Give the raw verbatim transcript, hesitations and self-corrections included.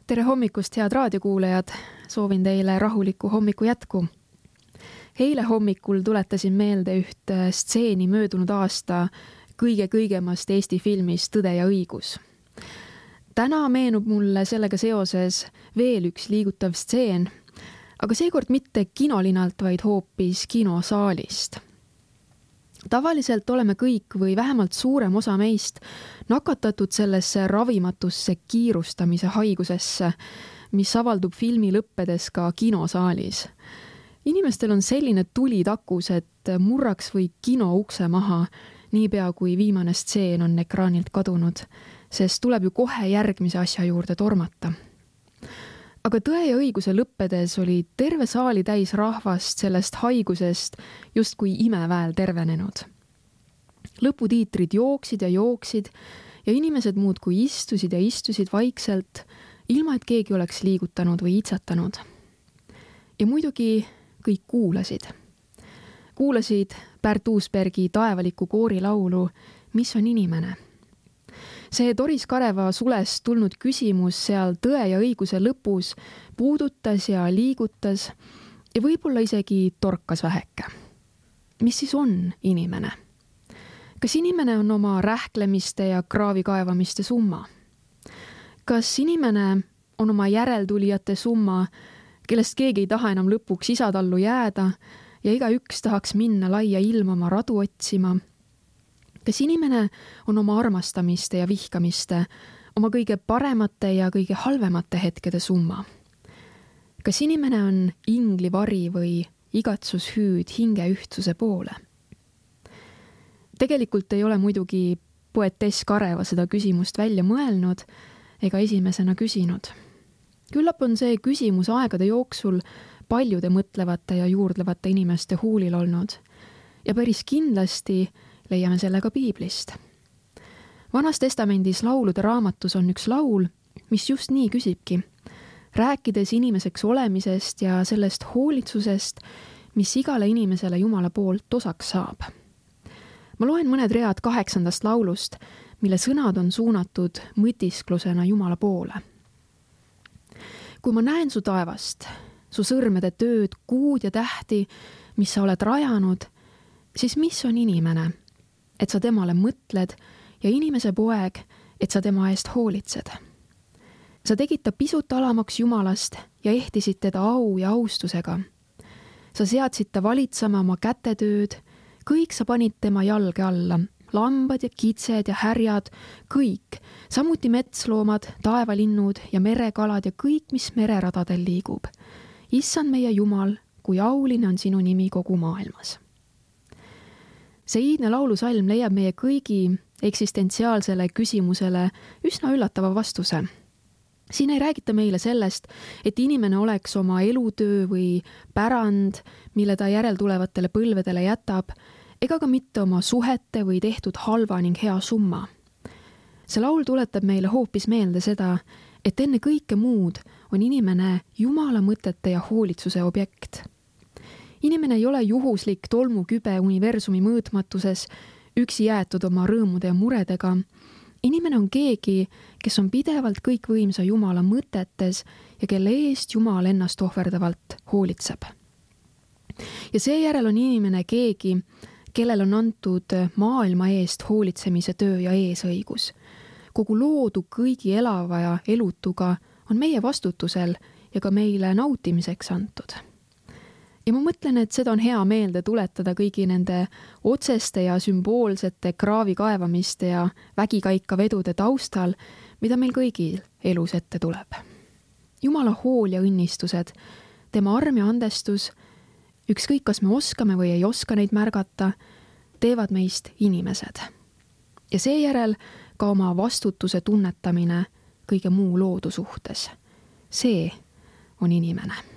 Tere hommikust, head raadiokuulajad! Soovin teile rahulikku hommiku jätku. Eile hommikul tuletasin meelde üht stseeni möödunud aasta kõige-kõigemast Eesti filmist Tõde ja õigus. Täna meenub mulle sellega seoses veel üks liigutav stseen, aga seekord mitte kinolinalt, vaid hoopis kinosaalist. Tavaliselt oleme kõik või vähemalt suurem osa meist nakatatud sellesse ravimatusse kiirustamise haigusesse, mis avaldub filmi lõppedes ka kinosaalis. Inimestel on selline tuli takus, et murraks või kino ukse maha, niipea kui viimane stseen on ekraanilt kadunud, sest tuleb ju kohe järgmise asja juurde tormata. Aga Tõe ja õiguse lõppedes oli terve saali täis rahvast sellest haigusest justkui imeväel tervenenud. Lõputiitrid jooksid ja jooksid ja inimesed muudkui istusid ja istusid vaikselt, ilma et keegi oleks liigutanud või itsatanud. Ja muidugi kõik kuulasid. Kuulasid Pärt Uusbergi taevaliku koori laulu Mis on inimene? See Doris Kareva sulest tulnud küsimus seal Tõe ja õiguse lõpus puudutas ja liigutas ja võib-olla isegi torkas väheke. Mis siis on inimene? Kas inimene on oma rähklemiste ja kraavi kaevamiste summa? Kas inimene on oma järeltulijate summa, kellest keegi ei taha enam lõpuks isatallu jääda ja iga üks tahaks minna laia ilma oma radu otsima? Kas inimene on oma armastamiste ja vihkamiste, oma kõige paremate ja kõige halvemate hetkede summa? Kas inimene on inglivari või igatsushüüd hinge ühtsuse poole? Tegelikult ei ole muidugi poetess Kareva seda küsimust välja mõelnud ega esimesena küsinud. Küllap on see küsimus aegade jooksul paljude mõtlevate ja juurdlevate inimeste huulil olnud ja päris kindlasti leiame selle ka piiblist. Vanas testamendis laulude raamatus on üks laul, mis just nii küsibki, rääkides inimeseks olemisest ja sellest hoolitsusest, mis igale inimesele Jumala poolt osaks saab. Ma loen mõned read kaheksandast laulust, mille sõnad on suunatud mõtisklusena Jumala poole. Kui ma näen su taevast, su sõrmede tööd, kuud ja tähti, mis sa oled rajanud, siis mis on inimene, et sa temale mõtled ja inimese poeg, et sa tema eest hoolitsed. Sa tegid ta pisut alamaks Jumalast ja ehtisid teda au ja austusega. Sa seadsid ta valitsama oma kätetööd, kõik sa panid tema jalge alla, lambad ja kitsed ja härjad, kõik, samuti metsloomad, taevalinnud ja merekalad ja kõik, mis mereradadel liigub. Issand meie Jumal, kui auline on sinu nimi kogu maailmas. See iidne laulusalm leiab meie kõigi eksistentsiaalsele küsimusele üsna üllatava vastuse. Siin ei räägita meile sellest, et inimene oleks oma elutöö või pärand, mille ta järeltulevatele põlvedele jätab, ega ka mitte oma suhete või tehtud halva ning hea summa. See laul tuletab meile hoopis meelde seda, et enne kõike muud on inimene Jumala mõtete ja hoolitsuse objekt. Inimene ei ole juhuslik tolmukübe universumi mõõtmatuses, üksi jäetud oma rõõmude ja muredega. Inimene on keegi, kes on pidevalt kõikvõimsa Jumala mõtetes ja kelle eest Jumal ennast ohverdavalt hoolitseb. Ja seejärel on inimene keegi, kellel on antud maailma eest hoolitsemise töö ja eesõigus. Kogu loodu kõigi elava ja elutuga on meie vastutusel ja ka meile nautimiseks antud. Ja ma mõtlen, et seda on hea meelde tuletada kõigi nende otseste ja sümboolsete kraavi kaevamiste ja vägikaika vedude taustal, mida meil kõigil elus ette tuleb. Jumala hool ja õnnistused, tema arm ja andestus, ükskõik kas me oskame või ei oska neid märgata, teevad meist inimesed. Ja seejärel ka oma vastutuse tunnetamine kõige muu loodu suhtes. See on inimene.